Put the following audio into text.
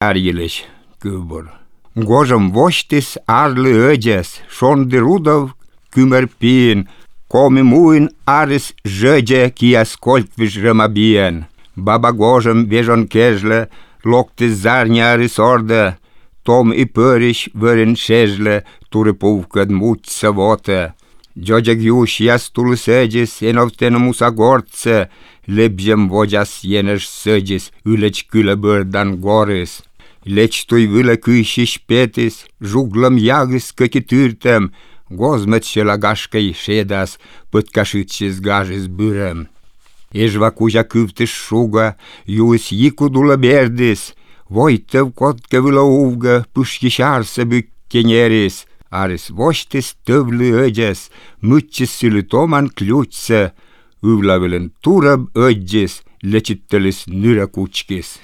ärgilich kübor. Gojom vostis arle ödes, schon de rudov kümerpien, komi muin aris jöde ki ascoltvish rămabien. Baba Gojom vejon kejle, lokte zarnia risorda, tom i părish vărin șejle, ture puvcăd muci să vote. Giogeg iuș iastul săgis, enovten musa gorță, lebjem vojas jeneș săgis, üleci külă bărdan goris. Leci tui vâlă câișiș petis, juglăm iagis căchi târtem, gozmet și la gașcăi ședas, păt cașit și zgajis bârăm. Eșva cuja câvtiș șuga, ius jicudulă berdis, voi tăv cot că vâlă uvgă, pâșchișar să bückeneris, aris voștis tăvlă öges, mâccis sylitoman kliutsă, uvla vâlân turăb ögis, lecittelis nyrä kučkis.